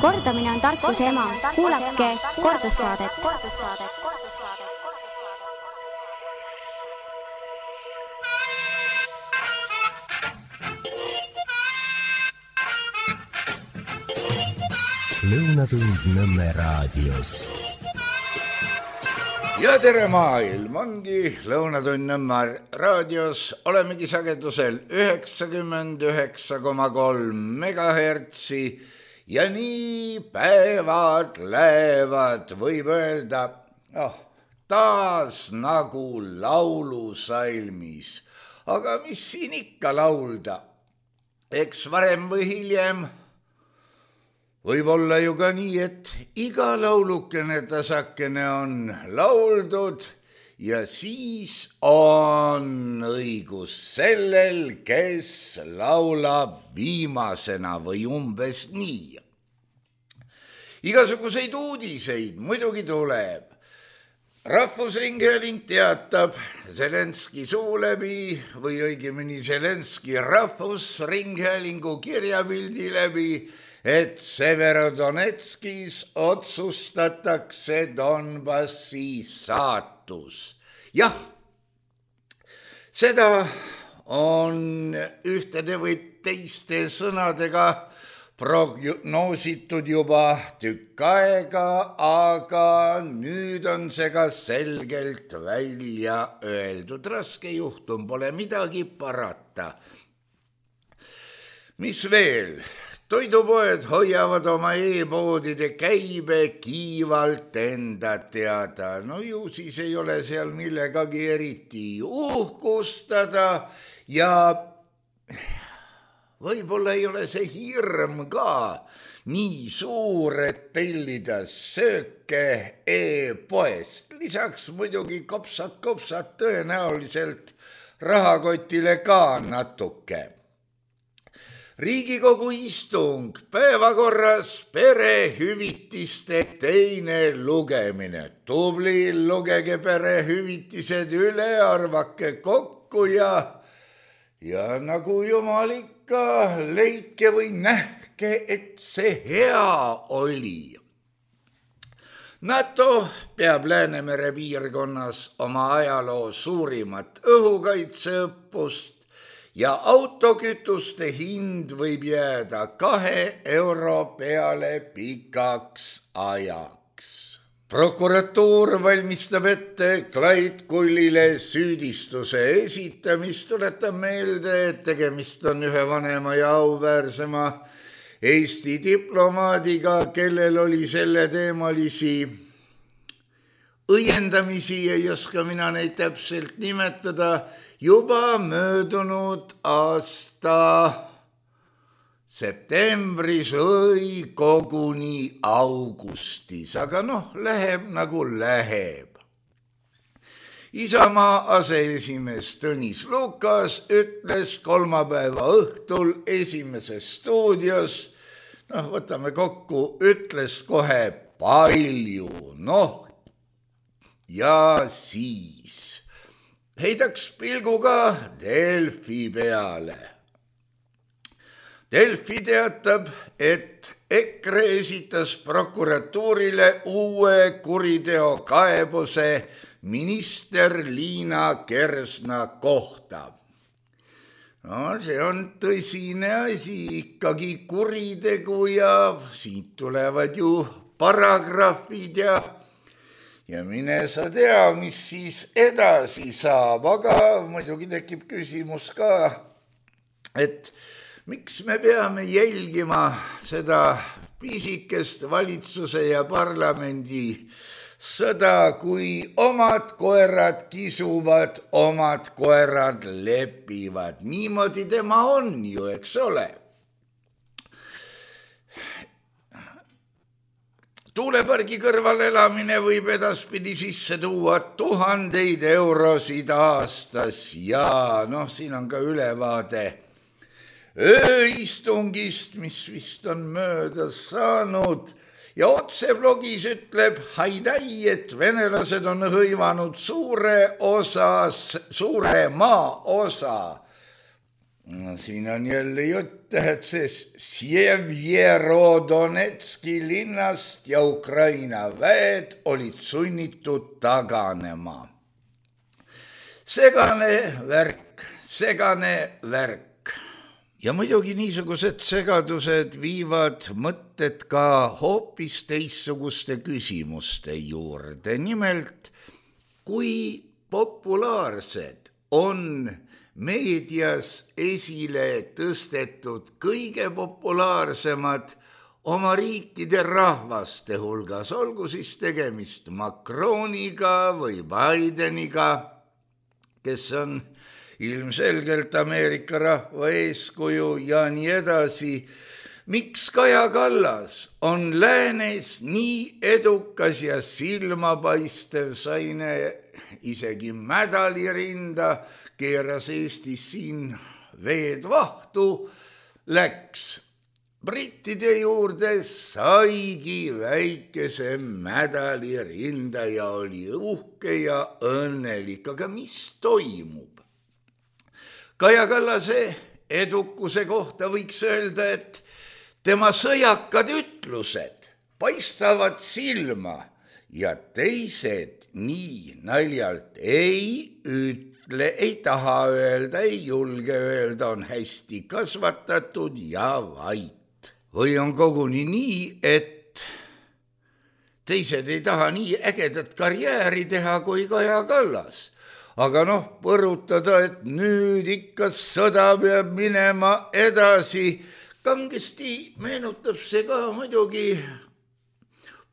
Kordamine on tarkuse ema. Kuulake kordussaadet. Lõunatund Nõmme raadios. Ja tere maailm, ongi Lõunatund Nõmme raadios. Olemegi sagedusel 99,3 megahertsi ja nii päevad lähevad, võib öelda, taas nagu laulusalmis. Aga mis siin ikka laulda? Eks varem või hiljem võib olla ju ka nii, et iga laulukene tasakene on lauldud ja siis on õigus sellel, kes laulab viimasena või umbes nii. Igasuguseid uudiseid muidugi tuleb. Rahvusringhääling teatab Zelenski suu läbi või õigemini Zelenski rahvusringhäälingu kirjapildi läbi, et Severodonetskis otsustatakse Donbassi saatus. Jah, seda on ühtede või teiste sõnadega prognoositud juba tükk aega, aga nüüd on see ka selgelt välja öeldud. Raske juhtum, pole midagi parata. Mis veel? Toidupoed hoiavad oma e-poodide käibe kiivalt enda teada. No ju siis ei ole seal millegagi eriti uhkustada ja võib-olla ei ole see hirm ka nii suur, et tellida sööke e-poest. Lisaks muidugi kopsad tõenäoliselt rahakotile ka natuke. Riigikogu istung, päevakorras perehüvitiste teine lugemine. Tubli, lugege perehüvitised üle, arvake kokku ja nagu jumal ikka, leidke või nähke, et see hea oli. NATO peab Läänemere piirkonnas oma ajaloo suurimat õhukaitseõppust ja autokütuste hind võib jääda 2 euro peale pikaks ajaks. Prokuratuur valmistab ette Clyde Kullile süüdistuse esitamist. Tuletan meelde, et tegemist on ühe vanema ja auväärsema Eesti diplomaadiga, kellel oli selle teemalisi õiendamisi, ei oska mina neid täpselt nimetada, juba möödunud aasta septembris või koguni augustis, aga läheb nagu läheb. Isamaa aseesimees Tõnis Lukas ütles kolmapäeva õhtul Esimeses stuudios, võtame kokku, ütles kohe palju, ja siis heidaks pilguga Delfi peale. Delfi teatab, et EKRE esitas prokuratuurile uue kuriteokaebuse minister Liina Kersna kohta. See on tõsine asi, ikkagi kuritegu ja siit tulevad ju paragrahvid ja mine sa tea, mis siis edasi saab, aga muidugi tekib küsimus ka, et miks me peame jälgima seda pisikest valitsuse ja parlamendi sõda, kui omad koerad kisuvad, omad koerad lepivad. Niimoodi tema on ju, eks ole. Tuulepargi kõrval elamine võib edaspidi sisse tuua 1000 eurosid aastas ja siin on ka ülevaade ööistungist, mis vist on möödas saanud ja otseblogis ütleb Haidai, et venelased on hõivanud suure maaosa. Siin on jälle jutt et see Sjevjerodonetski linnast ja Ukraina väed olid sunnitud taganema. Segane värk. Ja muidugi niisugused segadused viivad mõtted ka hoopis teissuguste küsimuste juurde. Nimelt, kui populaarsed on meedias esile tõstetud kõige populaarsemad oma riikide rahvaste hulgas, olgu siis tegemist Macroniga või Bideniga, kes on ilmselgelt Ameerika rahva eeskuju ja nii edasi. Miks Kaja Kallas on läänes nii edukas ja silmapaistev, saine isegi medalirinda, keeras Eestis siin veed vahtu, läks brittide juurde, saigi väikese medalirinda ja oli uhke ja õnnelik. Aga mis toimub? Kaja Kallase edukuse kohta võiks öelda, et tema sõjakad ütlused paistavad silma ja teised nii naljalt ei ütle, ei taha öelda, ei julge öelda, on hästi kasvatatud ja vait. Või on koguni nii, et teised ei taha nii ägedat karjääri teha kui Kaja Kallas. Aga põrutada, et nüüd ikka sõda peab minema edasi. Kangesti meenutab see ka muidugi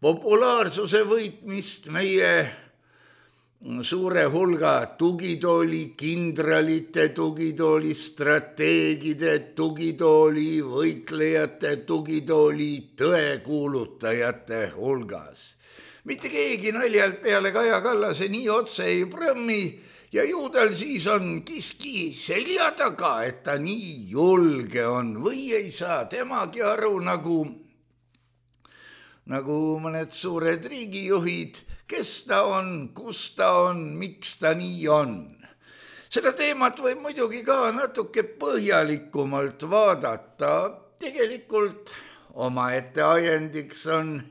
populaarsuse võitmist meie suure hulga tugitooli kindralite, tugitooli strateegide, tugitooli võitlejate, tugitooli tõekuulutajate hulgas. Mitte keegi naljalt peale Kaja Kallase nii otse ei prõmmi ja ju tal siis on kiski selja taga, et ta nii julge on või ei saa temagi aru nagu mõned suured riigijuhid, kes ta on, kus ta on, miks ta nii on. Seda teemat võib muidugi ka natuke põhjalikumalt vaadata. Tegelikult omaette ajendiks on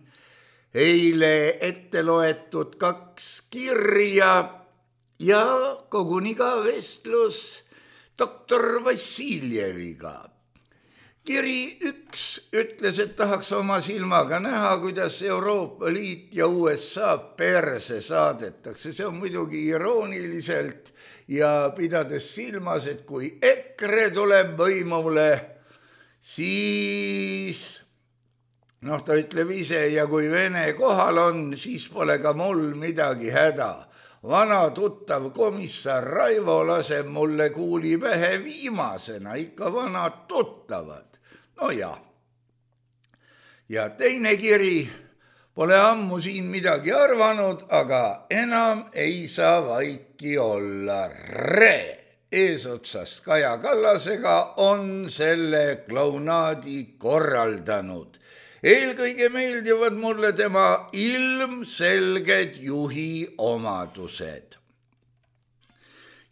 eile ette loetud 2 kirja ja koguni ka vestlus doktor Vassiljeviga. Kiri 1 ütles, et tahaks oma silmaga näha, kuidas Euroopa Liit ja USA perse saadetakse. See on muidugi irooniliselt ja pidades silmas, et kui EKRE tuleb võimule, siis ta ütleb ise, ja kui Vene kohal on, siis pole ka mul midagi häda. Vana tuttav komissar Raivo laseb mulle kuuli pähe viimasena, ikka vanad tuttavad. No ja teine kiri, pole ammu siin midagi arvanud, aga enam ei saa vaiki olla. Eesotsas Kaja Kallasega on selle klounaadi korraldanud. Eelkõige meeldivad mulle tema ilmselged juhi omadused.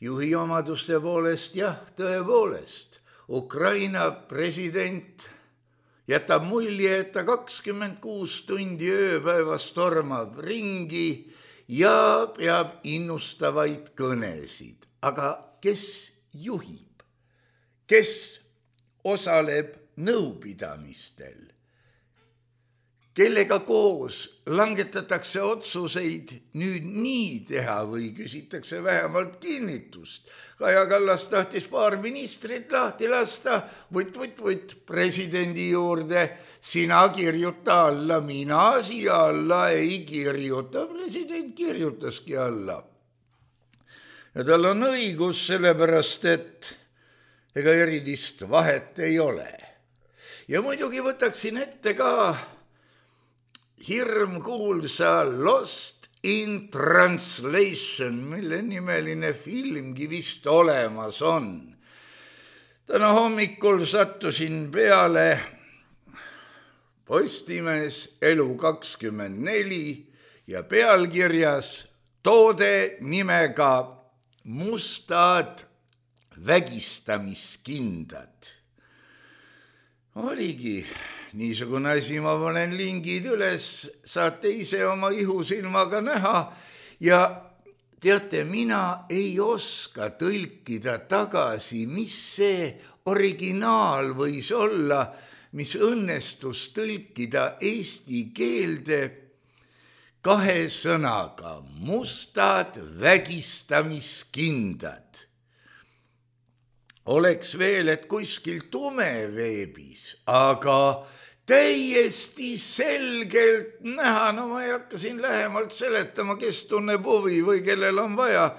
Juhi omaduste poolest, jah, tõepoolest. Ukraina president jätab mulje, et ta 26 tundi ööpäevas tormab ringi ja peab innustavaid kõnesid. Aga kes juhib? Kes osaleb nõupidamistel? Kellega koos langetatakse otsuseid nüüd nii teha või küsitakse vähemalt kinnitust. Kaja Kallas tahtis paar ministrit lahti lasta, võt presidendi juurde, sina kirjuta alla, mina siia alla ei kirjuta. President kirjutaski alla. Ja tal on õigus, sellepärast, et ega erilist vahet ei ole. Ja muidugi võtaksin ette ka hirmkuulsa Lost in Translation, mille nimeline filmgi vist olemas on. Täna hommikul sattusin peale Postimees Elu24 ja pealkirjas toode nimega Mustad vägistamiskindad. Oligi niisugune asi, ma panen lingid üles, saate ise oma ihusilmaga näha ja teate, mina ei oska tõlkida tagasi, mis see originaal võis olla, mis õnnestus tõlkida eesti keelde 2 sõnaga: mustad vägistamiskindad. Oleks veel, et kuskil tumeveebis, aga täiesti selgelt näha, no ma ei hakka siin lähemalt seletama, kes tunneb huvi või kellel on vaja,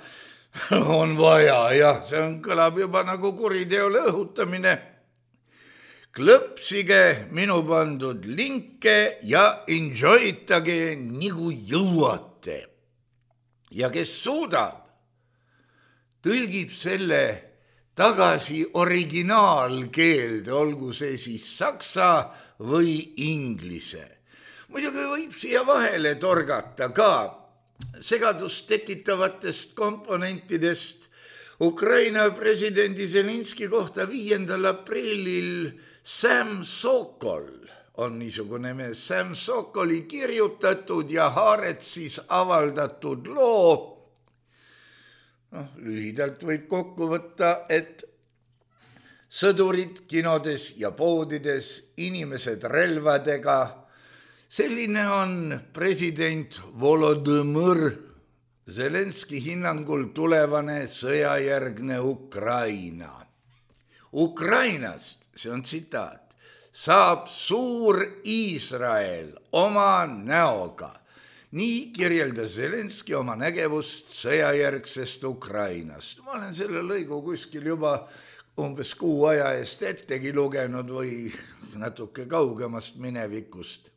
jah, see kõlab juba nagu kuriteole õhutamine. Klõpsige minu pandud linke ja enjoytage nagu jõuate. Ja kes suudab, tõlgib selle tagasi originaalkeelde, olgu see siis saksa või inglise. Muidugi võib siia vahele torgata ka segadust tekitavatest komponentidest. Ukraina presidendi Zelenski kohta 5. aprillil Sam Sokol on niisugune mees, Sam Sokoli kirjutatud ja Haaretsis avaldatud loo. Lühidalt võib kokku võtta, et sõdurid kinodes ja poodides, inimesed relvadega. Selline on president Volodõmõr Zelenski hinnangul tulevane sõjajärgne Ukraina. Ukrainast, see on tsitaat, saab suur Iisrael oma näoga. Nii kirjeldas Zelenski oma nägevust sõjajärgsest Ukrainast. Ma olen selle lõigu kuskil juba umbes 6 aja eest ettegi lugenud või natuke kaugemast minevikust.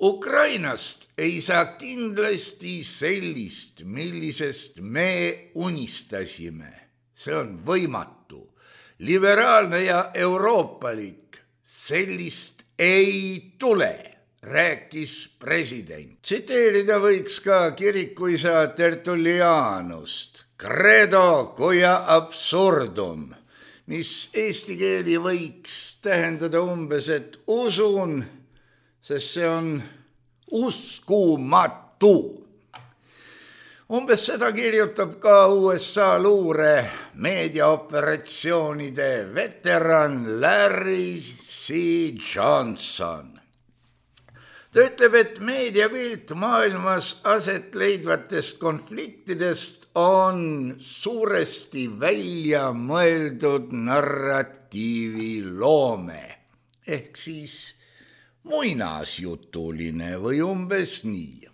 Ukrainast ei saa kindlasti sellist, millisest me unistasime. See on võimatu. Liberaalne ja euroopalik, sellist ei tule, rääkis president. Tsiteerida võiks ka kirikuisa Tertullianust, credo quia absurdum, mis eesti keeli võiks tähendada umbes, et usun, sest see on uskumatu. Umbes seda kirjutab ka USA luure meediaoperatsioonide veteran Larry C. Johnson. Ta ütleb, et meediapilt maailmas aset leidvatest konfliktidest on suuresti välja mõeldud narratiiviloome, ehk siis muinasjutuline või umbes nii.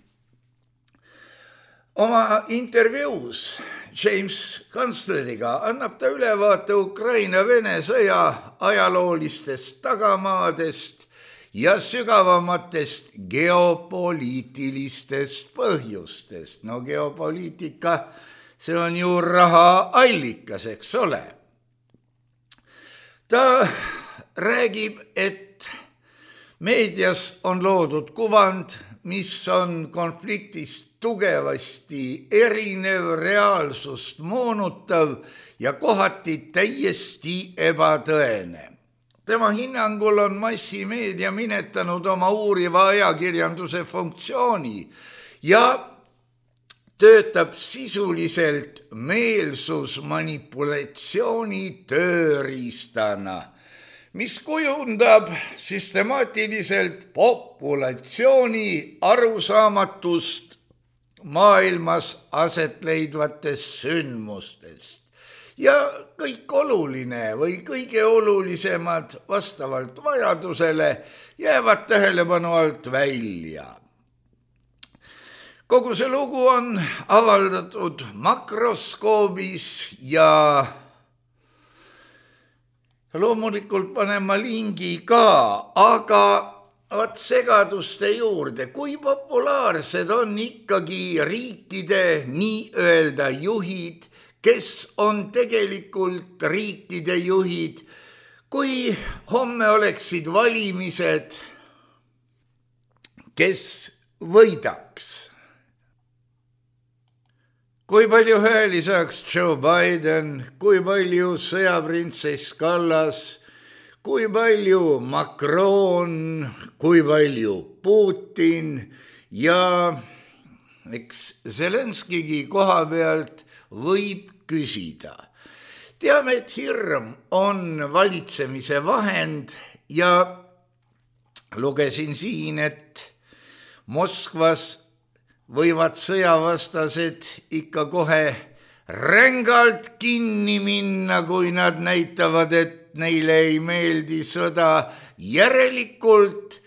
Oma intervjuus James Kansleriga annab ta ülevaate Ukraina-Vene sõja ajaloolistest tagamaadest ja sügavamatest geopoliitilistest põhjustest. No geopoliitika, see on ju raha allikas, eks ole. Ta räägib, et meedias on loodud kuvand, mis on konfliktist tugevasti erinev, reaalsust moonutav ja kohati täiesti ebatõene. Tema hinnangul on massimeedia minetanud oma uuriva ajakirjanduse funktsiooni ja töötab sisuliselt meelsusmanipulatsiooni tööriistana, mis kujundab süstemaatiliselt populatsiooni arusaamatust maailmas aset leidvatest sündmustest. Ja kõik oluline või kõige olulisemad vastavalt vajadusele jäävad tähelepanu alt välja. Kogu see lugu on avaldatud makroskoobis ja loomulikult panen ma lingi ka, aga vaat segaduste juurde, kui populaarsed on ikkagi riikide nii-öelda juhid, kes on tegelikult riikide juhid, kui homme oleksid valimised, kes võidaks? Kui palju hääli saaks Joe Biden, kui palju sõjaprintsess Kallas, kui palju Macron, kui palju Putin ja eks Zelenskigi koha pealt võib küsida. Teame, et hirm on valitsemise vahend ja lugesin siin, et Moskvas võivad sõjavastased ikka kohe rängalt kinni minna, kui nad näitavad, et neile ei meeldi sõda. Järelikult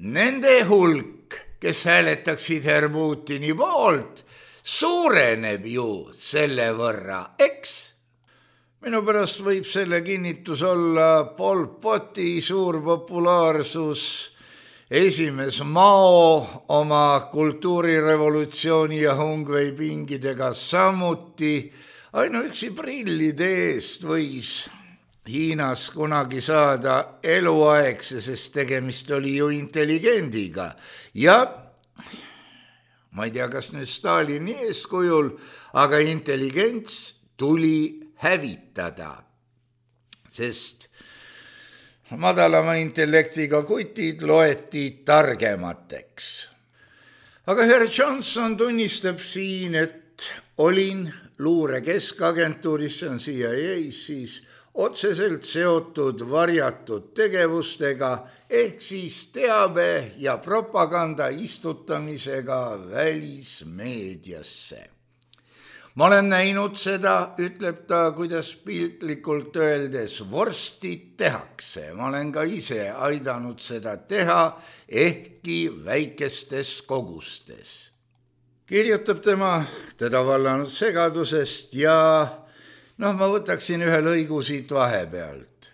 nende hulk, kes hääletaksid herr Putini poolt, suureneb ju selle võrra, eks? Minu pärast võib selle kinnitus olla Pol Poti suur populaarsus, esimees Mao oma kultuurirevolutsiooni ja Hungvei pingidega samuti. Ainuüksi prillide eest võis Hiinas kunagi saada eluaegse, sest tegemist oli ju intelligendiga. Ja ma ei tea, kas nüüd Stalini eeskujul, aga intelligents tuli hävitada, sest madalama intellektiga kutid loeti targemateks. Aga herr Johnson tunnistab siin, et olin luure keskagentuuris, see on CIA, siis otseselt seotud varjatud tegevustega ehk siis teabe ja propaganda istutamisega välismeediasse. Ma olen näinud seda, ütleb ta, kuidas piltlikult öeldes vorstid tehakse. Ma olen ka ise aidanud seda teha, ehkki väikestes kogustes. Kirjutab teda vallanud segadusest ja ma võtaksin ühe lõigu siit vahepealt.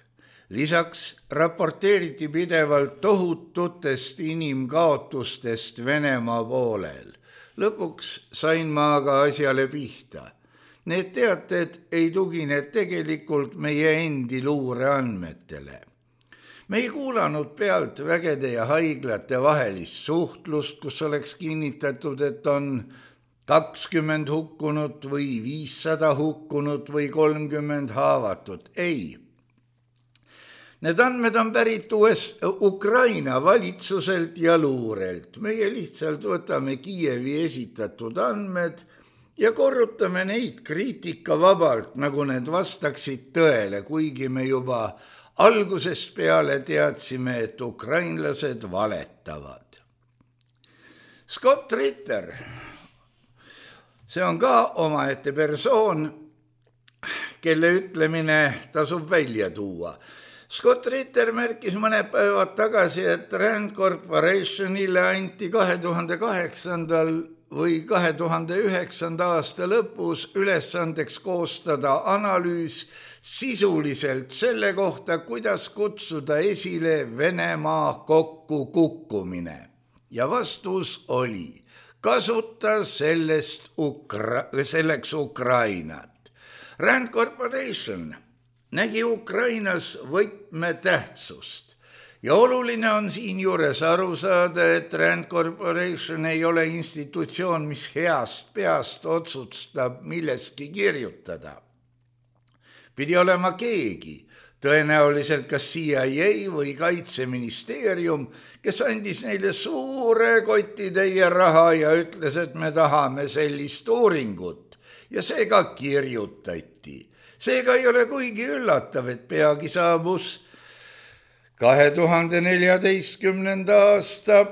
Lisaks raporteeriti pidevalt tohututest inimkaotustest Venemaa poolel. Lõpuks sain ma aga asjale pihta. Need teated ei tugine tegelikult meie endi luureandmetele. Me ei kuulanud pealt vägede ja haiglate vahelist suhtlust, kus oleks kinnitatud, et on 20 hukkunut või 500 hukkunut või 30 haavatut. Ei. Need andmed on pärit Ukraina valitsuselt ja luurelt. Meie lihtsalt võtame Kiievi esitatud andmed ja korrutame neid kriitikavabalt, nagu need vastaksid tõele, kuigi me juba algusest peale teadsime, et ukrainlased valetavad. Scott Ritter, see on ka omaette persoon, kelle ütlemine tasub välja tuua. Scott Ritter märkis mõned päevad tagasi, et Rand Corporationile anti 2008. või 2009. aasta lõpus ülesandeks koostada analüüs sisuliselt selle kohta, kuidas kutsuda esile Venemaa kokkukukkumine. Ja vastus oli, kasuta selleks Ukrainat. Rand Corporation nägi Ukrainas võtmetähtsust ja oluline on siinjuures aru saada, et Rand Corporation ei ole institutsioon, mis heast peast otsustab millestki kirjutada. Pidi olema keegi, tõenäoliselt kas CIA või Kaitseministeerium, kes andis neile suure kotitäie raha ja ütles, et me tahame sellist uuringut ja see ka kirjutati. Seega ei ole kuigi üllatav, et peagi saabus 2014. aasta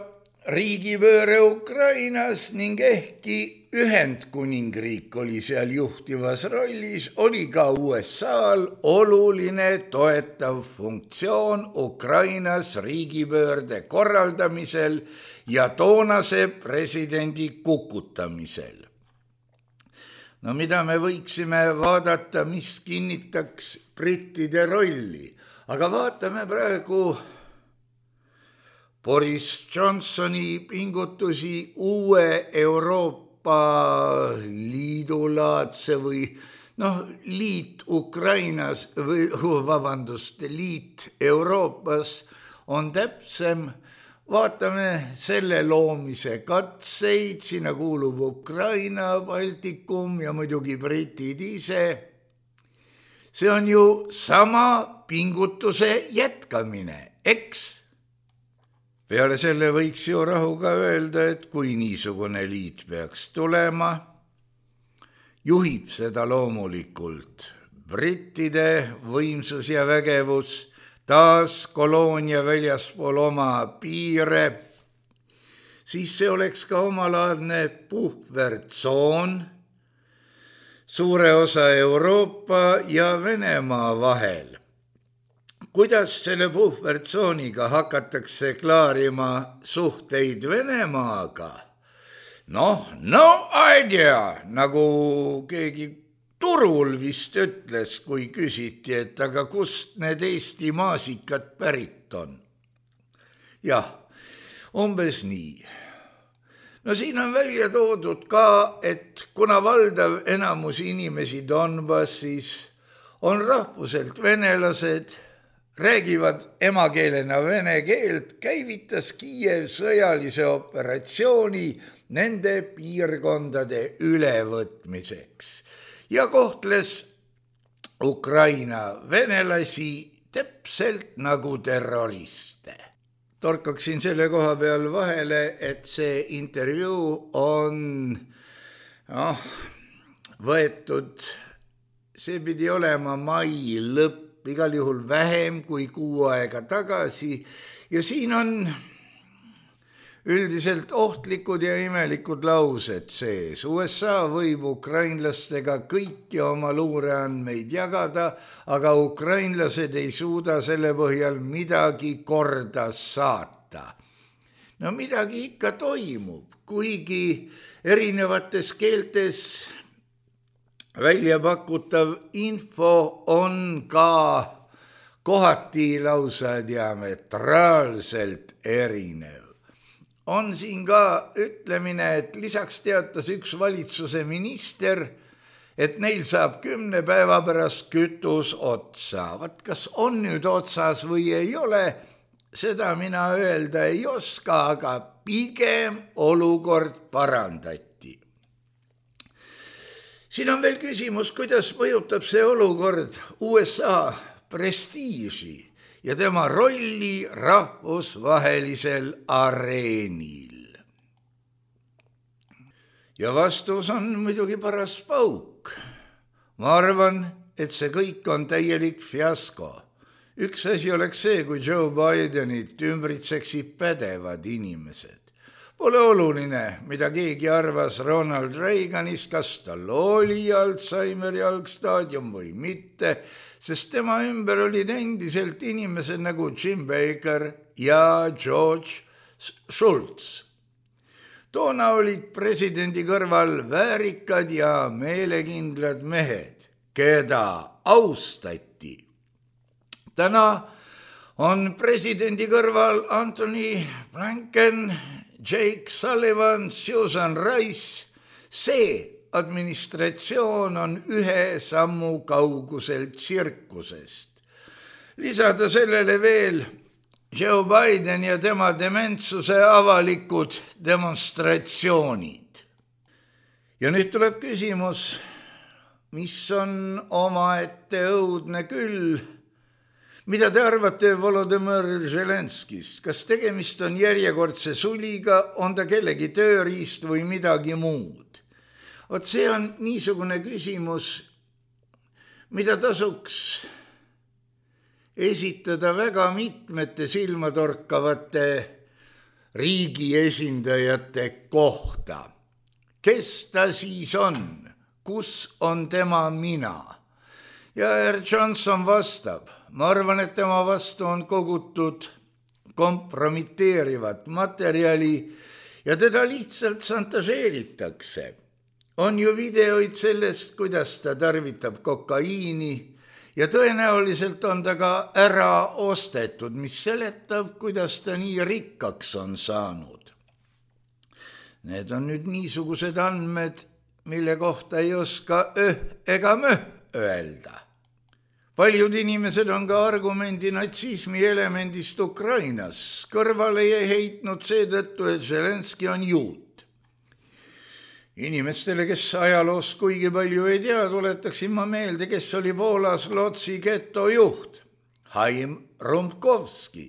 riigipööre Ukrainas ning ehkki Ühendkuningriik oli seal juhtivas rollis, oli ka USA-l oluline toetav funktsioon Ukrainas riigipöörde korraldamisel ja toonase presidendi kukutamisel. No mida me võiksime vaadata, mis kinnitaks brittide rolli, aga vaatame praegu Boris Johnsoni pingutusi uue Euroopa Liidulaadse või liit Ukrainas liit Euroopas on täpsem. Vaatame selle loomise katseid, sinna kuulub Ukraina, Baltikum ja muidugi britid ise. see on ju sama pingutuse jätkamine, eks? Peale selle võiks ju rahuga öelda, et kui niisugune liit peaks tulema, juhib seda loomulikult brittide võimsus ja vägevus, taas koloonia väljaspool oma piire, siis see oleks ka omalaadne puhvertsoon suure osa Euroopa ja Venemaa vahel. Kuidas selle puhvertsooniga hakatakse klaarima suhteid Venemaaga? No idea, nagu keegi turul vist ütles, kui küsiti, et aga kust need Eesti maasikad pärit on. Jah, umbes nii. No siin on välja toodud ka, et kuna valdav enamus inimesi Donbassis on rahvuselt venelased, räägivad emakeelena vene keelt, käivitas Kiiev sõjalise operatsiooni nende piirkondade ülevõtmiseks ja kohtles Ukraina venelasi täpselt nagu terroriste. Torkaksin selle koha peal vahele, et see intervjuu on võetud, see pidi olema mai lõpp, igal juhul vähem kui 6 aega tagasi ja siin on üldiselt ohtlikud ja imelikud laused sees. USA võib ukrainlastega kõiki oma luureandmeid jagada, aga ukrainlased ei suuda selle põhjal midagi korda saata. No midagi ikka toimub, kuigi erinevates keeltes välja pakutav info on ka kohati lausa diametraalselt erinev. On siin ka ütlemine, et lisaks teatas üks valitsuse minister, et neil saab 10 päeva pärast kütus otsa. Vat kas on nüüd otsas või ei ole, seda mina öelda ei oska, aga pigem olukord parandati. Siin on veel küsimus, kuidas mõjutab see olukord USA prestiiži ja tema rolli rahvusvahelisel areenil. Ja vastus on muidugi paras pauk. Ma arvan, et see kõik on täielik fiasko. Üks asi oleks see, kui Joe Bidenit ümbritseksid pädevad inimesed. Pole oluline, mida keegi arvas Ronald Reaganist, kas tal oli Alzheimeri algstaadium või mitte, sest tema ümber olid endiselt inimesed nagu Jim Baker ja George Shultz. Toona olid presidendi kõrval väärikad ja meelekindlad mehed, keda austati. Täna on presidendi kõrval Anthony Blinken, Jake Sullivan, Susan Rice. See administratsioon on 1 sammu kaugusel tsirkusest. Lisada sellele veel Joe Biden ja tema dementsuse avalikud demonstratsioonid. Ja nüüd tuleb küsimus, mis on omaette õudne küll. Mida te arvate Volodymyr Zelenskist? Kas tegemist on järjekordse suliga, on ta kellegi tööriist või midagi muud? Vot see on niisugune küsimus, mida tasuks esitada väga mitmete silmatorkavate riigi esindajate kohta. Kes ta siis on? Kus on tema mina? Ja Herr Johnson vastab. Ma arvan, et tema vastu on kogutud kompromiteerivat materjali ja teda lihtsalt šantažeeritakse. On ju videoid sellest, kuidas ta tarvitab kokaiini ja tõenäoliselt on ta ka ära ostetud, mis seletab, kuidas ta nii rikkaks on saanud. Need on nüüd niisugused andmed, mille kohta ei oska ega öelda. Paljud inimesed on ka argumendi natsismi elemendist Ukrainas kõrvale heitnud seetõttu, et Zelenski on juut. Inimestele, kes ajaloost kuigi palju ei tea, tuletaksin ma meelde, kes oli Poolas Lodzi geto juht, Haim Rumkovski.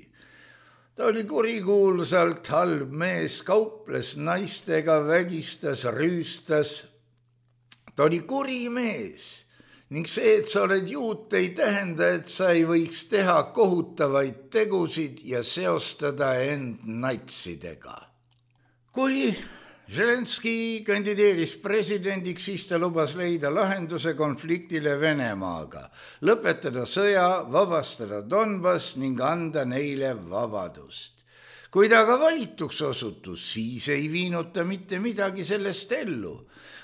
Ta oli kurikuulsalt halb mees, kauples naistega, vägistas, rüüstas. Ta oli kuri mees ning see, et sa oled juut, ei tähenda, et sa ei võiks teha kohutavaid tegusid ja seostada end natsidega. Kui Zelenskõi kandideeris presidendiks, siis ta lubas leida lahenduse konfliktile Venemaaga, lõpetada sõja, vabastada Donbass ning anda neile vabadust. Kui ta aga valituks osutus, siis ei viinud ta mitte midagi sellest ellu.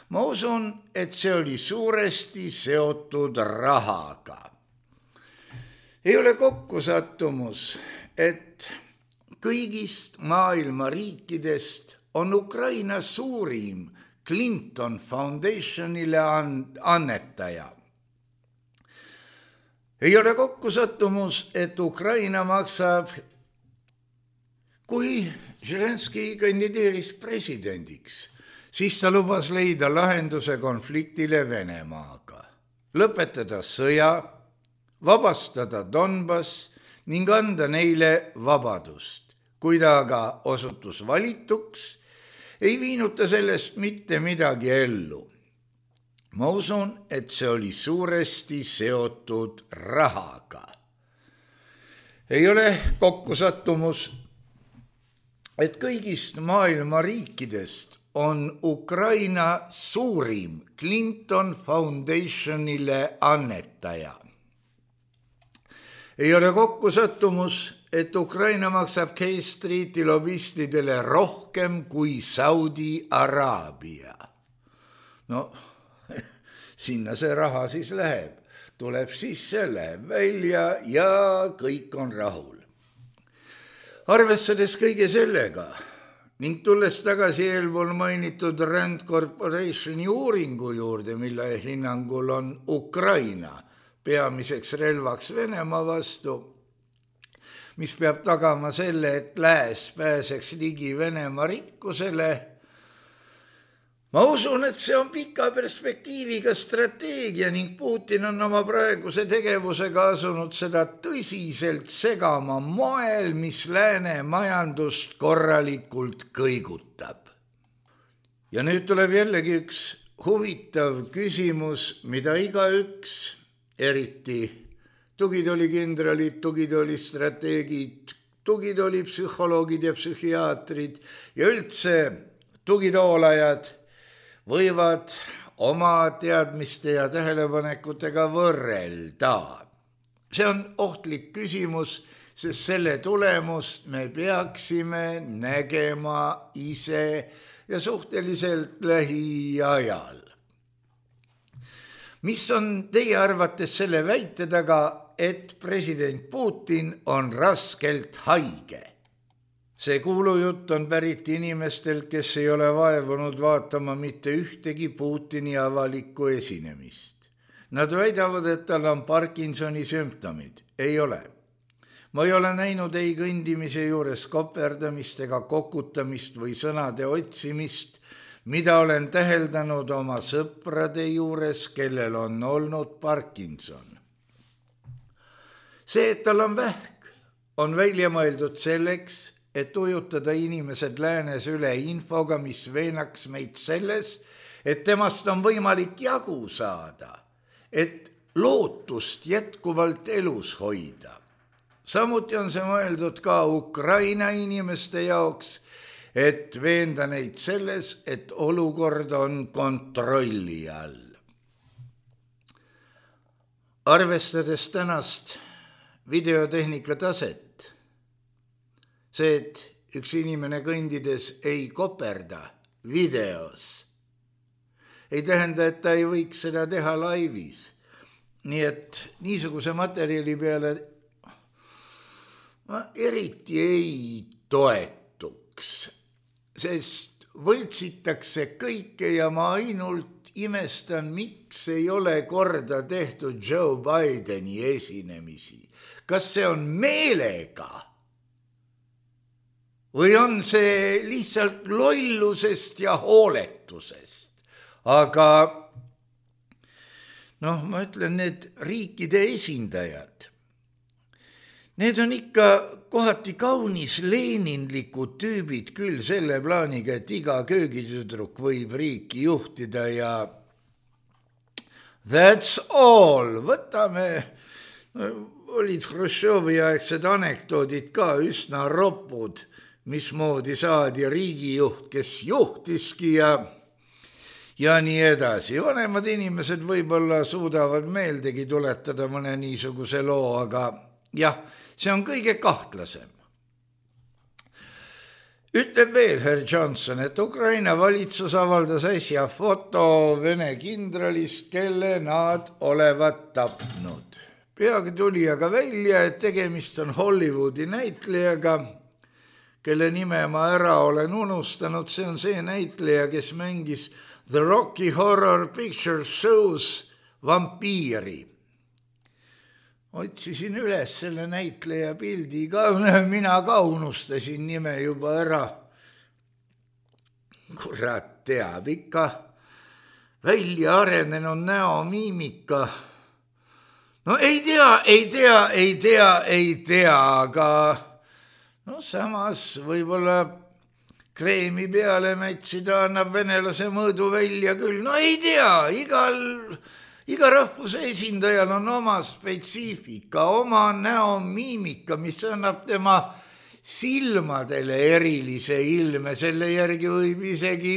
Ma usun, et see oli suuresti seotud rahaga. Ei ole kokkusattumus, et kõigist maailma riikidest on Ukraina suurim Clinton Foundationile annetaja. Ei ole kokkusattumus, et Ukraina maksab, kui Zelenskõi kandideeris presidendiks, siis ta lubas leida lahenduse konfliktile Venemaaga, lõpetada sõja, vabastada Donbass ning anda neile vabadust. Kui ta aga osutus valituks, ei viinud ta sellest mitte midagi ellu. Ma usun, et see oli suuresti seotud rahaga. Ei ole kokkusattumus, et kõigist maailma riikidest on Ukraina suurim Clinton Foundationile annetaja. Ei ole kokkusattumus, et Ukraina maksab K Streeti lobistidele rohkem kui Saudi Araabia. No, sinna see raha siis läheb. Tuleb sisse, läheb välja ja kõik on rahul. Arvestades kõige sellega ning tulles tagasi eelpool mainitud Rand Corporationi uuringu juurde, mille hinnangul on Ukraina peamiseks relvaks Venemaa vastu, mis peab tagama selle, et lääs pääseks ligi Venemaa rikkusele. Ma usun, et see on pika perspektiiviga strateegia ning Putin on oma praeguse tegevusega asunud seda tõsiselt segama moel, mis lääne majandust korralikult kõigutab. Ja nüüd tuleb jällegi üks huvitav küsimus, mida igaüks, eriti tugitoolikindralid, tugitoolistrateegid, tugitoolipsühholoogid ja psühhiaatrid ja üldse tugitoolajad võivad oma teadmiste ja tähelepanekutega võrrelda. See on ohtlik küsimus, sest selle tulemust me peaksime nägema ise ja suhteliselt lähiajal. Mis on teie arvates selle väite taga, et president Putin on raskelt haige? See kuulujutt on pärit inimestelt, kes ei ole vaevunud vaatama mitte ühtegi Putini avalikku esinemist. Nad väidavad, et tal on Parkinsoni sümptomid. Ei ole. Ma ei ole näinud ei kõndimise juures koperdamist ega kokutamist või sõnade otsimist, mida olen täheldanud oma sõprade juures, kellel on olnud Parkinson. See, et tal on vähk, on välja mõeldud selleks, et ujutada inimesed läänes üle infoga, mis veenaks meid selles, et temast on võimalik jagu saada, et lootust jätkuvalt elus hoida. Samuti on see mõeldud ka Ukraina inimeste jaoks, et veenda neid selles, et olukord on kontrolli all. Arvestades tänast videotehnika taset, see, et üks inimene kõndides ei koperda videos, ei tähenda, et ta ei võiks seda teha laivis. Nii et niisuguse materjali peale ma eriti ei toetuks, sest võltsitakse kõike ja ma ainult imestan, miks ei ole korda tehtud Joe Bideni esinemisi. Kas see on meelega või on see lihtsalt lollusest ja hooletusest? aga ma ütlen, need riikide esindajad, need on ikka kohati kaunis leninlikud tüübid küll selle plaaniga, et iga köögitüdruk võib riiki juhtida ja that's all. Võtame, olid Hruštšovi aegsed anekdoodid ka üsna ropud, mismoodi saadi riigijuht, kes juhtiski ja nii edasi. Vanemad inimesed võib-olla suudavad meeldegi tuletada mõne niisuguse loo, aga jah, see on kõige kahtlasem. Ütleb veel Herr Johnson, et Ukraina valitsus avaldas äsja foto Vene kindralist, kelle nad olevat tapnud. Peagi tuli aga välja, et tegemist on Hollywoodi näitlejaga, kelle nime ma ära olen unustanud. See on see näitleja, kes mängis The Rocky Horror Picture Show's vampiiri. Otsisin üles selle näitleja pildi ka, mina ka unustasin nime juba ära. Kurat teab ikka, välja arenenud näomiimika. Ei tea, aga samas võib-olla kreemi peale mätsida annab venelase mõõdu välja küll. Ei tea, iga rahvuse esindajal on oma spetsiifika, oma näomiimika, mis annab tema silmadele erilise ilme. Selle järgi võib isegi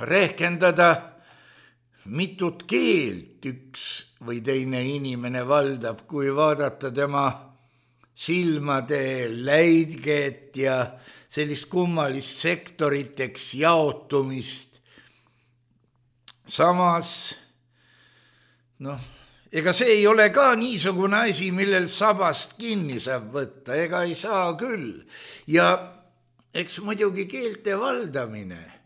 rehkendada, mitut keelt üks või teine inimene valdab, kui vaadata tema silmade läiget ja sellist kummalist sektoriteks jaotumist. Samas ega see ei ole ka niisugune asi, millel sabast kinni saab võtta, ega ei saa küll. Ja eks muidugi keelte valdamine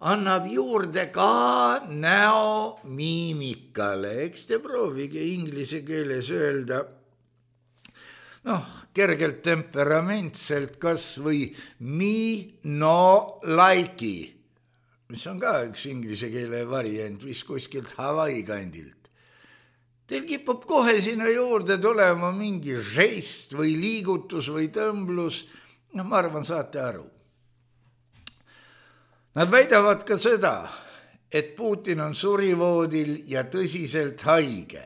annab juurde ka näomiimikale. Eks te proovige inglise keeles öelda, kergelt temperamentselt kas või me no like'i, mis on ka üks inglise keele variant, vist kuskilt Hawaii kandilt. Teil kipub kohe sinna juurde tulema mingi žest või liigutus või tõmblus. Ma arvan, saate aru. Nad väidavad ka seda, et Putin on surivoodil ja tõsiselt haige.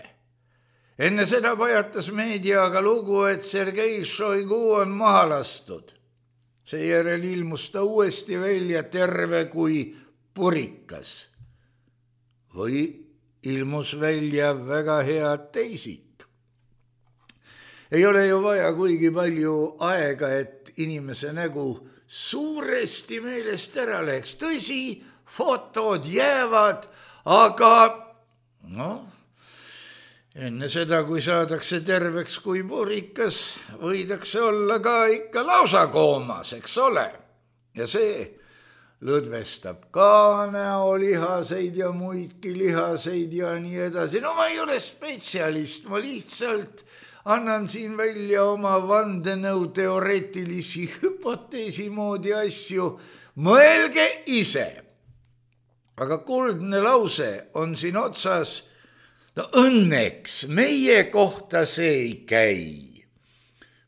Enne seda pajatas meediaga lugu, et Sergei Šoigu on maha lastud. Seejärel ilmus ta uuesti välja terve kui purikas. Või ilmus välja väga hea teisik. Ei ole ju vaja kuigi palju aega, et inimese nägu suuresti meelest ära läheks. Tõsi, fotod jäävad, aga enne seda, kui saadakse terveks kui purikas, võidakse olla ka ikka lausa koomas, eks ole. Ja see lõdvestab ka näolihaseid ja muidki lihaseid ja nii edasi. Ma ei ole spetsialist, ma lihtsalt annan siin välja oma vandenõu teoreetilisi hüpoteesi moodi asju. Mõelge ise. Aga kuldne lause on siin otsas. Õnneks meie kohta see ei käi.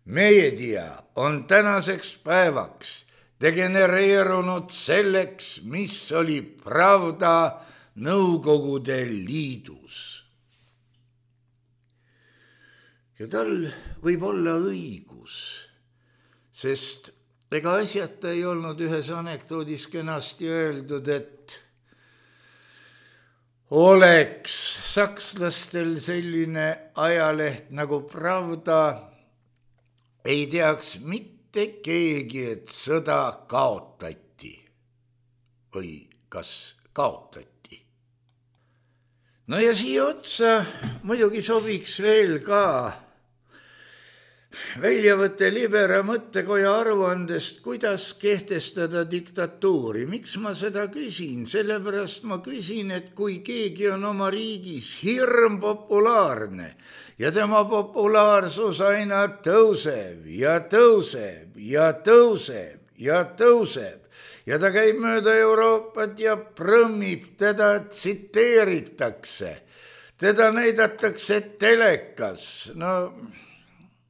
Meedia on tänaseks päevaks degenereerunud selleks, mis oli Pravda Nõukogude Liidus. Ja tal võib olla õigus, sest ega asjata ei olnud ühes anekdoodis kenasti öeldud, et oleks sakslastel selline ajaleht nagu Pravda, ei teaks mitte keegi, et sõda kaotati või kas kaotati. Ja siia otsa muidugi sobiks veel ka väljavõte Libera mõttekoja aruandest, kuidas kehtestada diktatuuri. Miks ma seda küsin? Sellepärast ma küsin, et kui keegi on oma riigis hirm populaarne ja tema populaarsus aina tõuseb ja tõuseb ja tõuseb ja tõuseb ja ta käib mööda Euroopat ja prõmmib, teda tsiteeritakse, teda näidatakse telekas, no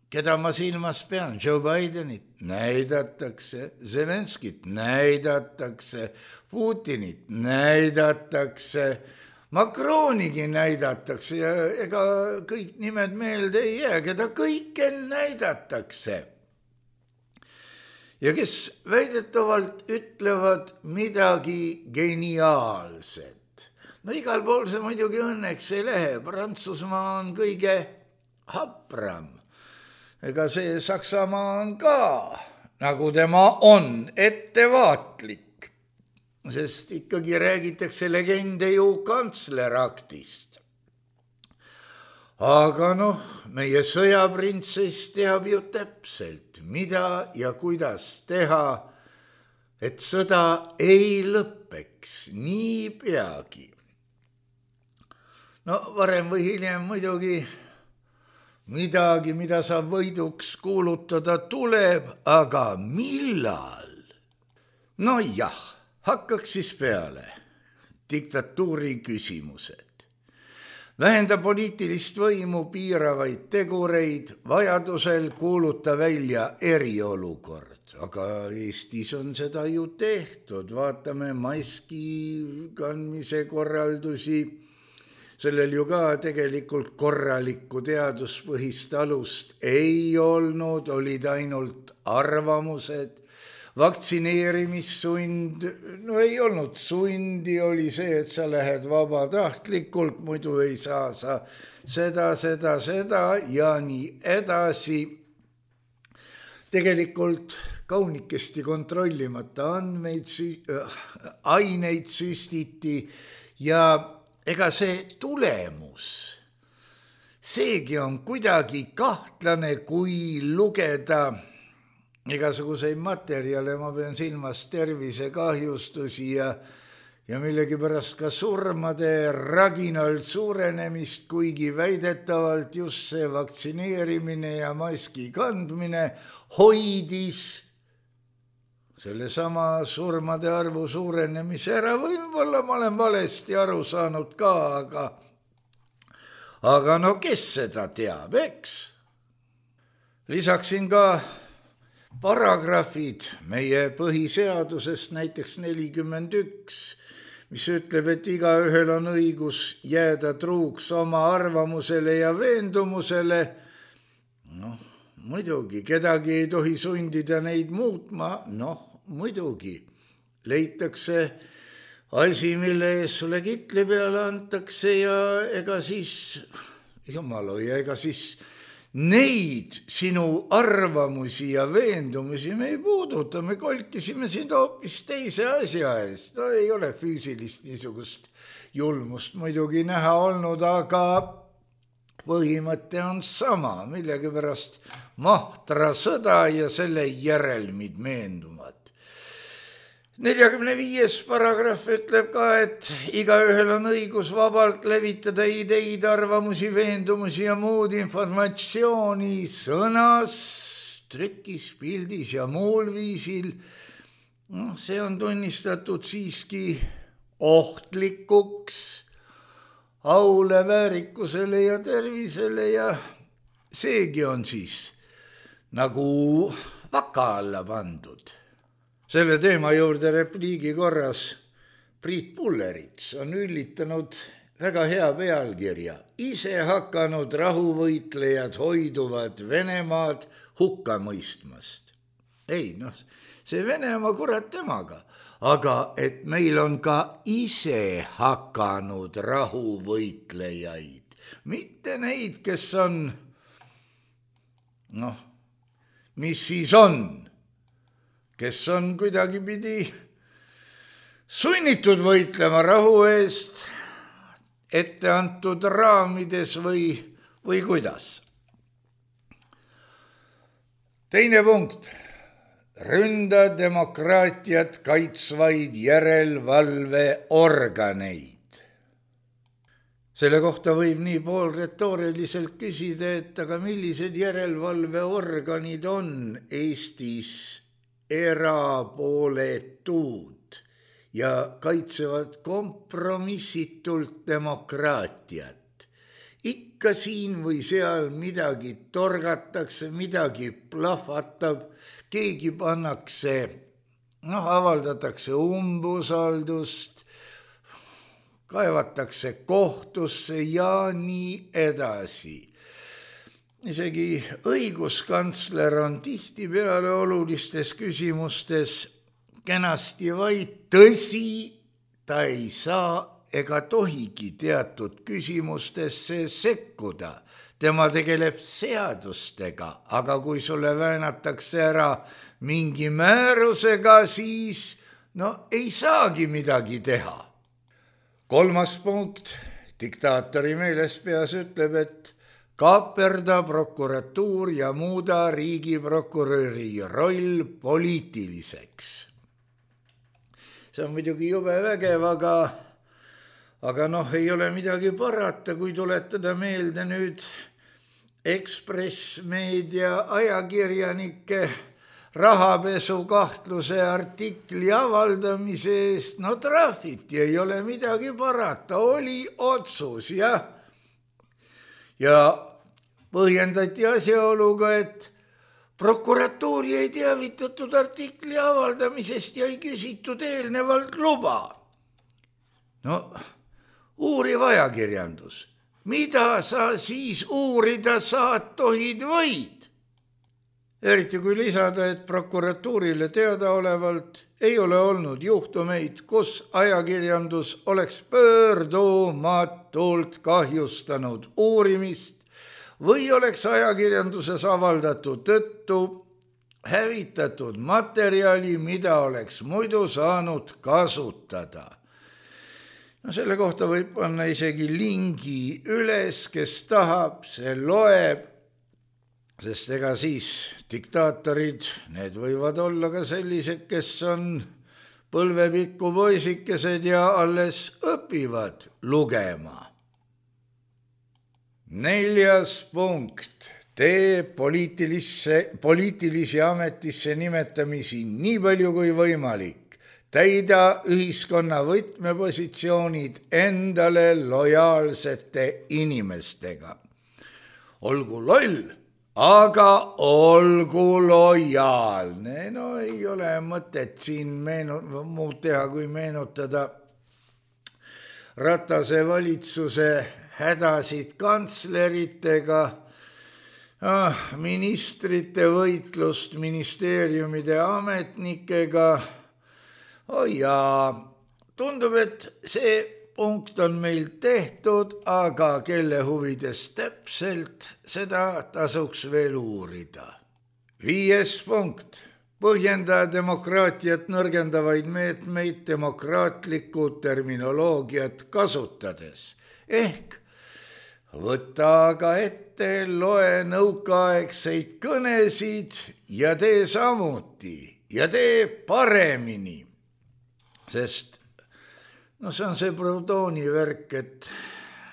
keda ma silmas pean, Joe Bidenit näidatakse, Zelenskit näidatakse, Putinit näidatakse, Macronigi näidatakse ja ega kõik nimed meelde ei jää, keda kõike näidatakse. Ja kes väidetavalt ütlevad midagi geniaalset. No igal pool see muidugi õnneks ei lähe, Prantsusmaa on kõige hapram. Ega see Saksamaa on ka, nagu tema on, ettevaatlik. Sest ikkagi räägitakse legende ju kantsleraktist. Aga meie sõjaprintsess teab ju täpselt, mida ja kuidas teha, et sõda ei lõppeks nii peagi. Varem või hiljem muidugi midagi, mida saab võiduks kuulutada, tuleb, aga millal? Jah. Hakkaks siis peale diktatuuri küsimused. Vähenda poliitilist võimu piiravaid tegureid, vajadusel kuuluta välja eriolukord. Aga Eestis on seda ju tehtud, vaatame maski kandmise korraldusi. Sellel ju ka tegelikult korralikku teaduspõhist alust ei olnud, olid ainult arvamused. Vaktsineerimissund, ei olnud sundi, oli see, et sa lähed vabatahtlikult, muidu ei saa sa seda ja nii edasi. Tegelikult kaunikesti kontrollimata aineid süstiti ja ega see tulemus, seegi on kuidagi kahtlane, kui lugeda igasuguseid materjale, ma pean silmas tervisekahjustusi ja millegipärast ka surmade raginal suurenemist, kuigi väidetavalt just see vaktsineerimine ja maski kandmine hoidis sellesama surmade arvu suurenemise ära. Võib-olla ma olen valesti aru saanud ka, aga kes seda teab, eks? Lisaksin ka paragrahvid meie põhiseadusest, näiteks 41, mis ütleb, et igaühel on õigus jääda truuks oma arvamusele ja veendumusele. Muidugi, kedagi ei tohi sundida neid muutma, muidugi. Leitakse asi, mille ees sulle kitli peale antakse ja ega siis, jumal hoia, ega siis neid sinu arvamusi ja veendumusi me ei puuduta, me kolkisime sind hoopis teise asja eest. Ei ole füüsilist niisugust julmust muidugi näha olnud, aga põhimõte on sama, millegipärast mahtra sõda ja selle järelmid meenduvad. 45. paragrahv ütleb ka, et igaühel on õigus vabalt levitada ideid, arvamusi, veendumusi ja muud informatsiooni sõnas, trükis, pildis ja muul viisil. See on tunnistatud siiski ohtlikuks aule, väärikusele ja tervisele ja seegi on siis nagu vaka alla pandud. Selle teema juurde repliigi korras Priit Pullerits on üllitanud väga hea pealkirja. Ise hakanud rahuvõitlejad hoiduvad Venemaad hukka mõistmast. Ei, see Venemaa kurat temaga, aga et meil on ka ise hakanud rahuvõitlejaid, mitte neid, kes on, mis siis on, kes on kuidagipidi sunnitud võitlema rahu eest ette antud raamides või kuidas. Teine punkt. Ründa demokraatiat kaitsvaid järelevalveorganeid. Selle kohta võib nii pool retooriliselt küsida, et aga millised järelevalveorganid on Eestis erapooletud ja kaitsevad kompromissitult demokraatiat. Ikka siin või seal midagi torgatakse, midagi plahvatab, keegi pannakse, avaldatakse umbusaldust, kaevatakse kohtusse ja nii edasi. Isegi õiguskantsler on tihtipeale olulistes küsimustes kenasti vaid tõsi, ta ei saa ega tohigi teatud küsimustesse sekkuda. Tema tegeleb seadustega, aga kui sulle väänatakse ära mingi määrusega, siis ei saagi midagi teha. 3. punkt, diktaatori meelespeas ütleb, et kaaperda prokuratuur ja muuda riigiprokuröri roll poliitiliseks. See on muidugi jube vägev, aga ei ole midagi parata, kui tuletada meelde nüüd Ekspress Meedia ajakirjanike rahapesukahtluse artikli avaldamise eest. Trahviti, ei ole midagi parata, oli otsus, jah. Ja põhjendati asjaoluga, et prokuratuuri ei teavitatud artikli avaldamisest ja ei küsitud eelnevalt luba. Uuriv ajakirjandus, mida sa siis uurida saad, tohid, võid? Eriti kui lisada, et prokuratuurile teadaolevalt ei ole olnud juhtumeid, kus ajakirjandus oleks pöördumatult kahjustanud uurimist või oleks ajakirjanduses avaldatud tõttu hävitatud materjali, mida oleks muidu saanud kasutada. Selle kohta võib panna isegi lingi üles, kes tahab, see loeb, sest ega siis diktaatorid, need võivad olla ka sellised, kes on põlvepikku poisikesed ja alles õpivad lugema. 4. punkt, tee poliitilisi ametisse nimetamisi nii palju kui võimalik. Täida ühiskonna võtmepositsioonid endale lojaalsete inimestega. Olgu loll, aga olgu lojaalne. Ei ole mõtet siin muud teha, kui meenutada Ratase valitsuse hädasid kantsleritega, ministrite võitlust ministeeriumide ametnikega. Ja tundub, et see punkt on meil tehtud, aga kelle huvides täpselt, seda tasuks veel uurida. 5. punkt, põhjenda demokraatiat nõrgendavaid meetmeid demokraatlikku terminoloogiat kasutades. Ehk võta aga ette, loe nõukaaegseid kõnesid ja tee samuti ja tee paremini. Sest see on see Proudhoni värk, et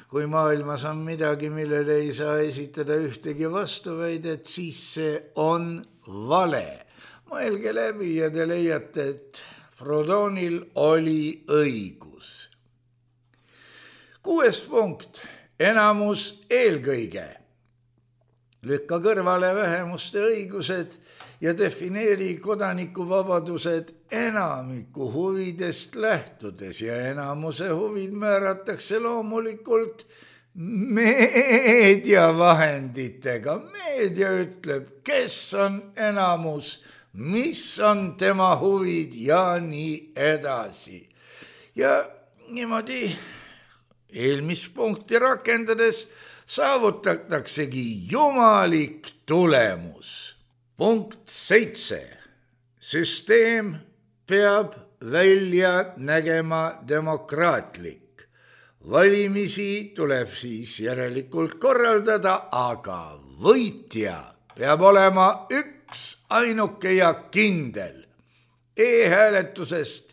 kui maailmas on midagi, millele ei saa esitada ühtegi vastuväidet, siis see on vale. Mõelge läbi ja te leiate, et Proudhonil oli õigus. 6. punkt, enamus eelkõige. Lükka kõrvale vähemuste õigused ja defineeri kodanikuvabadused enamiku huvidest lähtudes ja enamuse huvid määratakse loomulikult meediavahenditega. Meedia ütleb, kes on enamus, mis on tema huvid ja nii edasi. Ja niimoodi eelmist punkti rakendades saavutataksegi jumalik tulemus. Punkt 7. Süsteem peab välja nägema demokraatlik. Valimisi tuleb siis järelikult korraldada, aga võitja peab olema üks ainuke ja kindel. E-hääletusest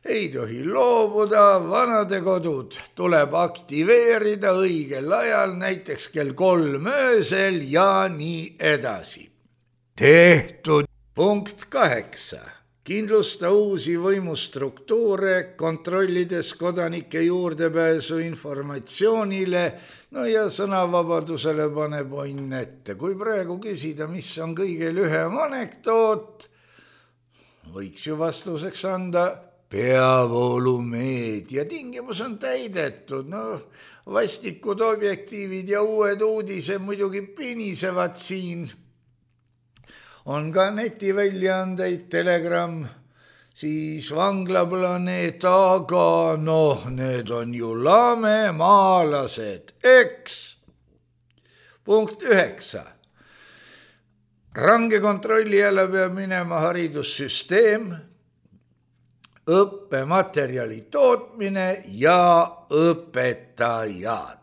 ei tohi loobuda, vanadekodud tuleb aktiveerida õigel ajal, näiteks kell 3 öösel ja nii edasi. Tehtud. Punkt 8. Kindlusta uusi võimustruktuure, kontrollides kodanike juurdepääsu informatsioonile, no ja sõnavabadusele paneb onn ette. Kui praegu küsida, mis on kõige lühem anekdoot, võiks ju vastuseks anda peavoolumeedia. Tingimus on täidetud, vastikud objektiivid ja uued uudised muidugi pinisevad siin. On ka netiväljaandeid, Telegram, siis Vanglaplaneet, aga need on ju lamemaalased, eks. Punkt 9. Range kontrolli jälle peab minema haridussüsteem, õppematerjali tootmine ja õpetajad.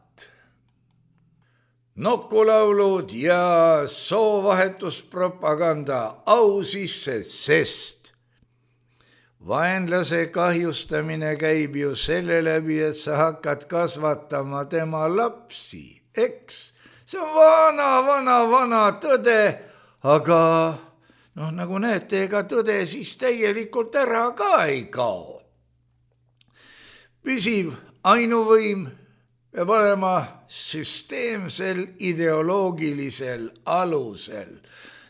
Nokulaulud ja soovahetuspropaganda au sisse, sest vaenlase kahjustamine käib ju selle läbi, et sa hakkad kasvatama tema lapsi, eks? See on vana tõde, aga nagu näete, ega tõde siis täielikult ära ka ei kao. Püsiv ainuvõim peab olema süsteemsel ideoloogilisel alusel.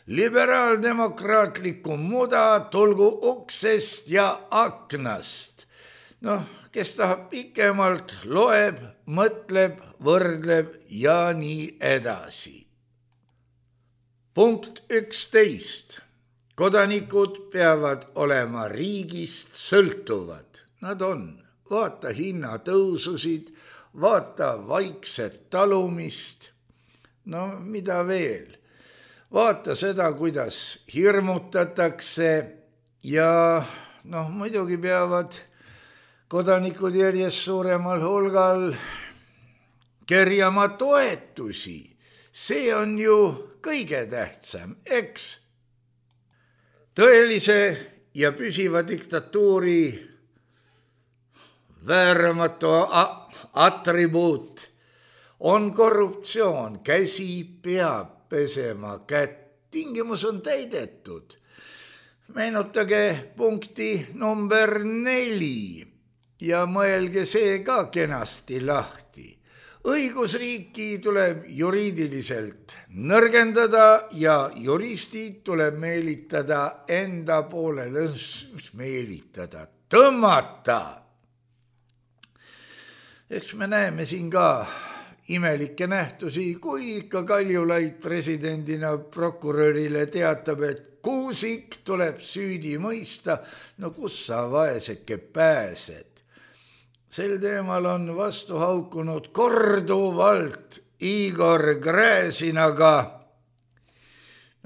Liberaaldemokraatlikku muda tulgu uksest ja aknast. Kes tahab pikemalt, loeb, mõtleb, võrdleb ja nii edasi. Punkt 11. Kodanikud peavad olema riigist sõltuvad. Nad on. Vaata hinnatõususid, vaata vaikset talumist, mida veel. Vaata seda, kuidas hirmutatakse ja muidugi peavad kodanikud järjest suuremal hulgal kerjama toetusi. See on ju kõige tähtsam, eks? Tõelise ja püsiva diktatuuri vääramatu atribuut on korruptsioon. Käsi peab pesema kätt. Tingimus on täidetud. Meenutage punkti number 4 ja mõelge see ka kenasti lahti. Õigusriiki tuleb juriidiliselt nõrgendada ja juristid tuleb meelitada enda poolele, meelitada, tõmmata. Eks me näeme siin ka imelikke nähtusi, kui ikka Kaljulaid presidendina prokurörile teatab, et Kuusik tuleb süüdi mõista, kus sa vaeseke pääsed. Sel teemal on vastu haukunud korduvalt Igor Gräzinaga.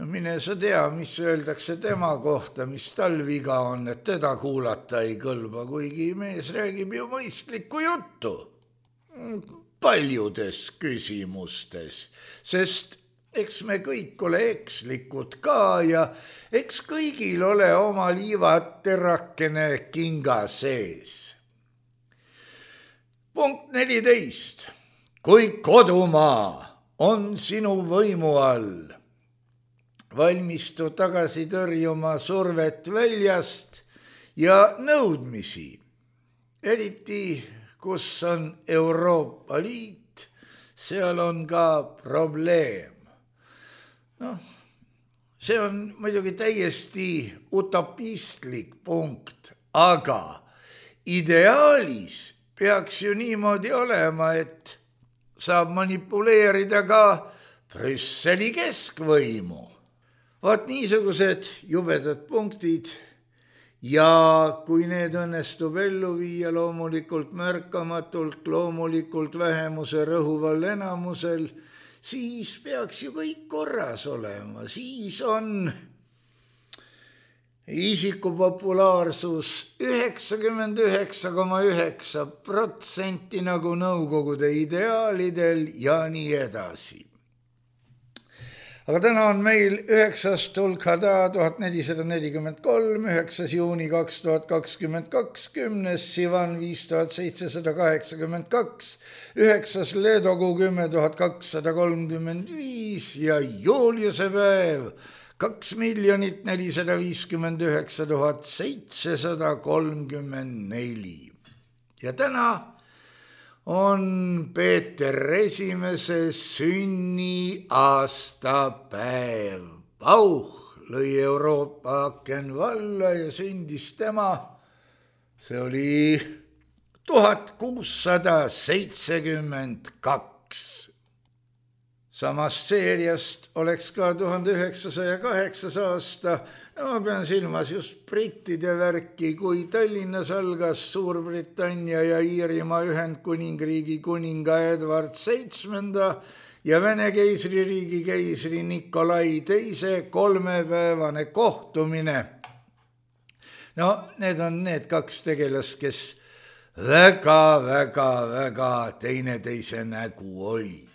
Mine sa tea, mis öeldakse tema kohta, mis tal viga on, et teda kuulata ei kõlba, kuigi mees räägib ju mõistlikku juttu. Paljudes küsimustes, sest eks me kõik ole ekslikud ka ja eks kõigil ole oma liivaterakene kinga sees. Punkt 14. Kui kodumaa on sinu võimu all, valmistu tagasi tõrjuma survet väljast ja nõudmisi, eriti kus on Euroopa Liit, seal on ka probleem. See on muidugi täiesti utopistlik punkt, aga ideaalis peaks ju niimoodi olema, et saab manipuleerida ka Brüsseli keskvõimu. Vaat niisugused jubedad punktid. Ja kui need õnnestub ellu viia loomulikult märkamatult, loomulikult vähemuse rõhuval enamusel, siis peaks ju kõik korras olema. Siis on isiku populaarsus 99,9% nagu nõukogude ideaalidel ja nii edasi. Aga täna on meil 9. Tulkhada 1443, 9. juuni 2022, 10. Sivan 5782, 9. Leedokuu 10 235 ja Juliuse päev 2,459 734. Ja täna on Peeter Esimese sünniaastapäev. Pauh lõi Euroopa aken valla ja sündis tema, see oli 1672. Samast seeriast oleks ka 1908. aasta, ja ma pean silmas just brittide värki, kui Tallinnas algas Suurbritannia ja Iirimaa Ühendkuningriigi kuninga Edward VII ja Vene keisririigi keisri Nikolai II 3-päevane kohtumine. No, need on need kaks tegelast, kes väga teineteise nägu olid.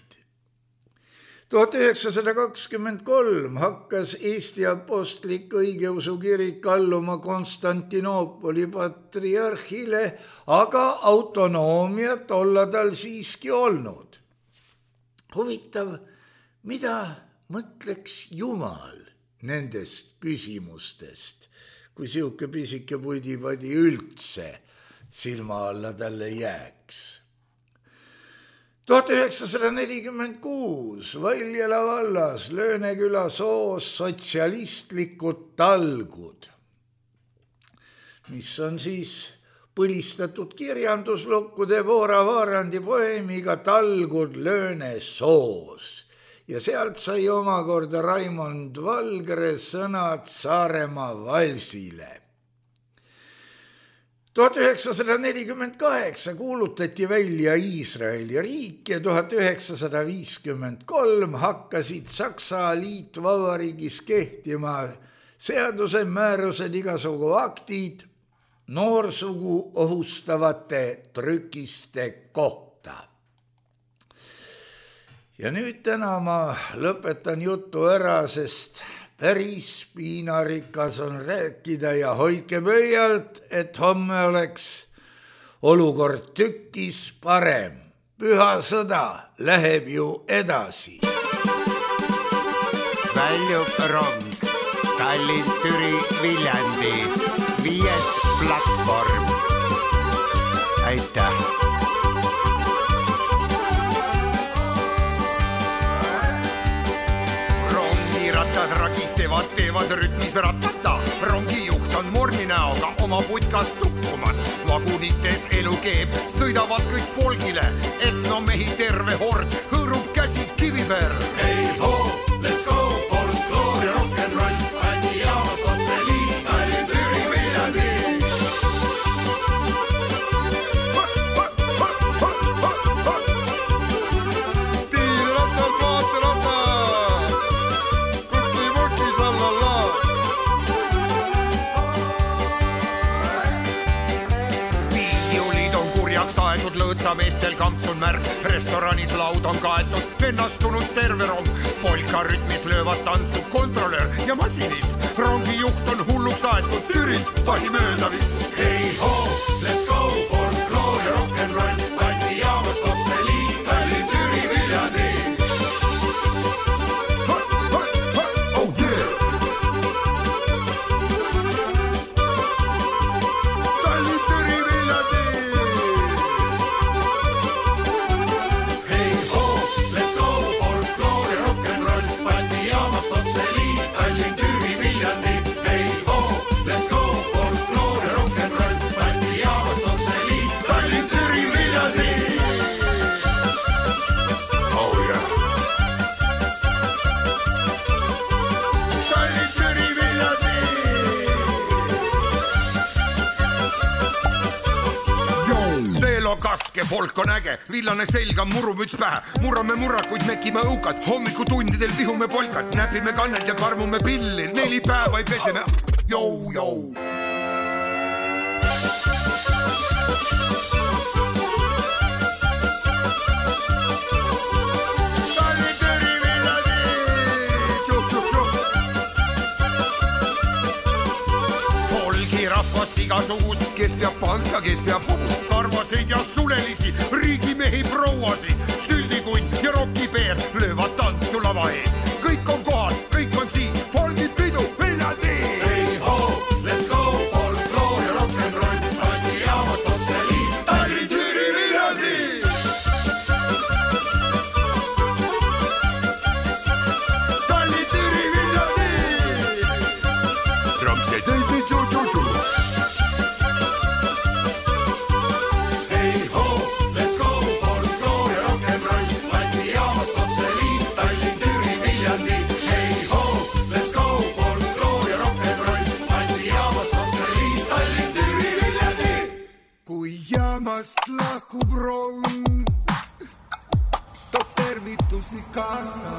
1923 hakkas Eesti apostlik õigeusu kirik alluma Konstantinoopoli patriarhile, aga autonoomiat olla tal siiski olnud. Huvitav, mida mõtleks Jumal nendest küsimustest, kui siuke pisike pudipadi üldse silma alla talle jääks. 1946 Valjala vallas Lööneküla soos sotsialistlikud talgud, mis on siis põlistatud kirjanduslukku Debora Vaarandi poeemiga Talgud Lööne soos. Ja sealt sai omakorda Raimond Valgre sõnad Saaremaa valsile. 1948 kuulutati välja Iisraeli riik ja 1953 hakkasid Saksa liitvabariigis kehtima seaduse määrused igasugu aktid noorsugu ohustavate trükiste kohta. Ja nüüd täna ma lõpetan jutu ära, sest päris piinarikas on rääkida ja hoidke pöialt, et homme oleks olukord tükis parem. Püha sõda läheb ju edasi. Väljub rong Tallinn, Türi, Viljandi 5. platvorm. Aitäh! Ragisevad, teevad rütmis ratata. Rongijuht on morni näoga oma putkas tukkumas. Vagunites elu keeb, sõidavad kõik folgile. Etnomehi terve hord hõõrub käsi kivi peal. Hey ho, let's go, folkloor ja rock'n'roll. Bändi jaamast otse liin, Tallinn, Türi, Viljandi. Tiiratas, vaateratas. Viiulid on kurjaks aetud, lõõtsameestel kamps on märk. Restoranis laud on kaetud, vennastunud terve rong. Polka rütmis löövad tantsu kontrolör ja masinist. Rongijuht on hulluks aetud, Türilt pani mööda vist. Hey ho, let's go, folkloor ja rock'n'roll. Bändi jaamast otse liin, Tallinn, Türi, Viljandi. Kaske folk on äge, villane selga, murumüts pähe. Murrame murrakuid, mekime õukad. Hommikutundidel tihume polkat, näpime kannelt ja karmume pilli. 4 päeva ei peseme. Jou. Rahvast igasugust, kes peab panka, kes peab hobust, karvaseid ja sulelisi, riigimehi prouasid, süldikunt ja rokipeer löövad tantsu lava ees. Kõik on kohal, kõik on siin, folgid majakast lahkub rong, toob tervitusi kaasa.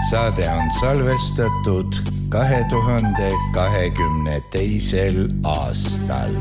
Saade on salvestatud 2022. aastal.